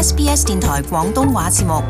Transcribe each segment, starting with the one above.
SBS 電台廣東話節目。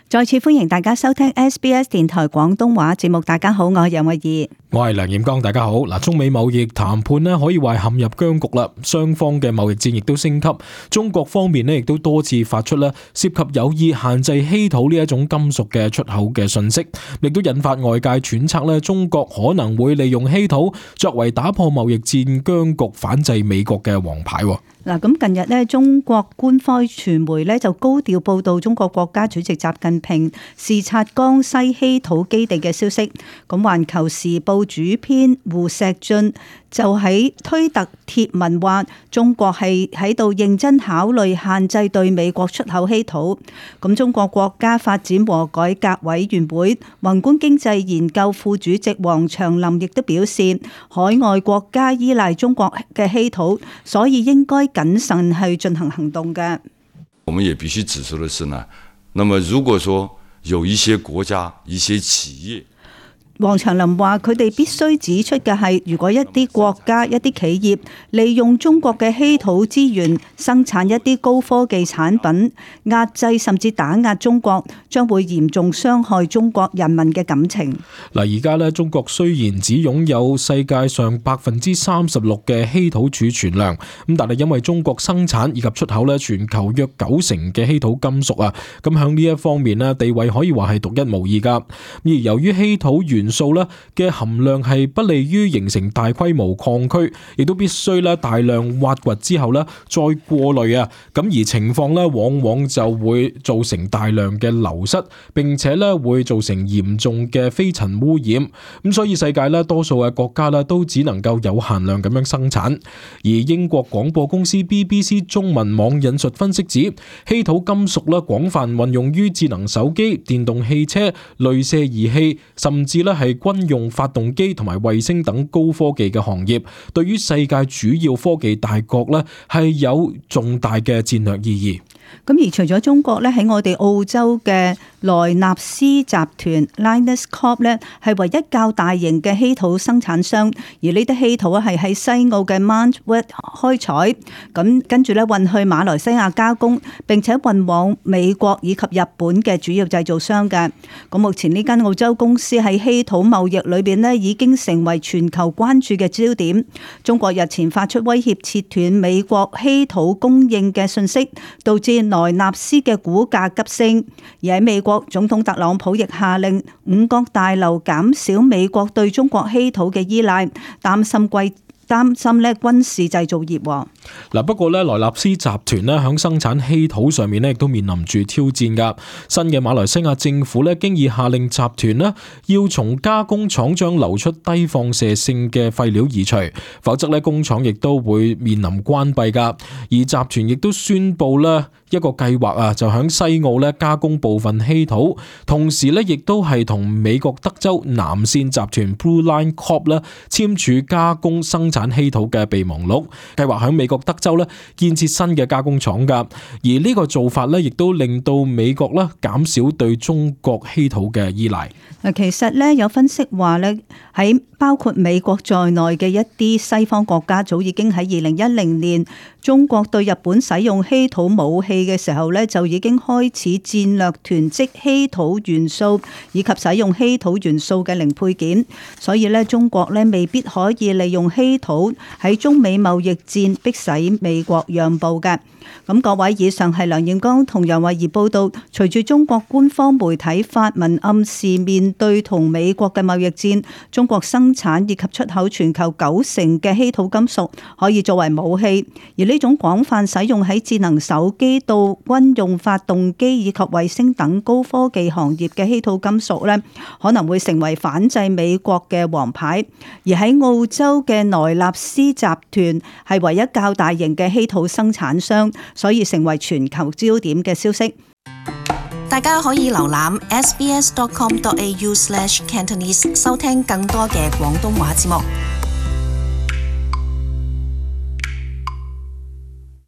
再次歡迎大家收聽 SBS 電台廣東話節目。大家好，我係楊慧儀，我係梁彥剛。大家好。中美貿易談判咧可以話陷入僵局啦，雙方嘅貿易戰亦都升級。中國方面咧亦都多次發出咧涉及有意限制稀土呢一種金屬嘅出口嘅訊息，亦都引發外界揣測咧中國可能會利用稀土作為打破貿易戰僵局、反制美國嘅王牌。嗱，咁近日咧，中國官方傳媒咧就高調報道中國國家主席習近平視察江西稀土基地嘅消息。咁《環球時報》主編胡錫進就喺推特貼文話，中國係喺度認真考慮限制對美國出口稀土。咁中國國家發展和改革委員會宏觀經濟研究副主席王長林亦都表示，海外國家依賴中國嘅稀土，所以應該謹慎去進行行動嘅。我們也必須指出的是呢，那麼如果說有一些國家、一些企業，王長林話：佢哋必須指出嘅係，如果一啲國家、一啲企業利用中國嘅稀土資源生產一啲高科技產品，壓制甚至打壓中國，將會嚴重傷害中國人民嘅感情。嗱，而家咧，中國雖然只擁有世界上36%嘅稀土儲存量，咁但係因為中國生產以及出口咧全球約90%嘅稀土金屬啊，咁響呢一方面咧地位可以話係獨一無二噶。而由於稀土元素咧嘅含量係不利於形成大規模礦區，亦都必須咧大量挖掘之後咧再過濾啊，咁而情況咧往往就會造成大量嘅流失，並且咧會造成嚴重嘅飛塵污染。咁所以世界咧多數嘅國家咧都只能夠有限量咁樣生產。而英國廣播公司 BBC 中文網引述分析指，稀土金屬咧廣泛運用於智能手機、電動汽車、鐳射儀器，甚至咧係軍用發動機同埋衛星等高科技嘅行業，對於世界主要科技大國咧係有重大嘅戰略意義。咁而除咗中國咧，喺我哋澳洲嘅萊納斯集團 Lynas Corp 咧係唯一較大型嘅稀土生產商，而呢啲稀土係喺西澳嘅 Mount Weld 開採，咁跟住咧運去馬來西亞加工，並且運往美國以及日本嘅主要製造商嘅。咁目前呢間澳洲公司喺稀土貿易裏邊咧已經成為全球關注嘅焦點。中國日前發出威脅切斷美國稀土供應嘅訊息，導致萊納斯嘅股價急升，而喺美國總統特朗普亦下令五角大樓減少美國對中國稀土嘅依賴，擔心咧軍事製造業。嗱，不過咧萊納斯集團咧響生產稀土上面咧亦都面臨住挑戰噶。新嘅馬來西亞政府咧經已下令集團咧要從加工廠將流出低放射性嘅廢料移除，否則咧工廠亦都會面臨關閉噶。而集團亦都宣布咧一個計劃啊，就響西澳咧加工部分稀土，同時咧亦都係同美國德州南線集團 Blue Line Corp 咧簽署加工生產稀土嘅備忘錄，計劃響美國德州咧建設新嘅加工廠噶。而呢個做法咧亦都令到美國咧減少對中國稀土嘅依賴。嗱，其實咧有分析話咧，喺包括美國在內嘅一啲西方國家，早已經喺2010年中國對日本使用稀土武器嘅時候咧，就已經開始戰略囤積稀土元素以及使用稀土元素嘅零配件。所以咧，中國咧未必可以利用稀土喺中美貿易戰迫使美國讓步嘅。咁各位，以上係梁彥剛同楊慧儀報道。隨住中國官方媒體發文暗示面對同美國嘅貿易戰，中國生產以及出口全球90%嘅稀土金屬可以作為武器，而呢種廣泛使用喺智能手機到軍用發動機以及衛星等高科技行業嘅稀土金屬咧，可能會成為反制美國嘅王牌。而喺澳洲嘅萊納斯集團係唯一較大型嘅稀土生產商，所以成為全球焦點嘅消息。大家可以瀏覽 sbs.com.au/Cantonese 收聽更多嘅廣東話節目。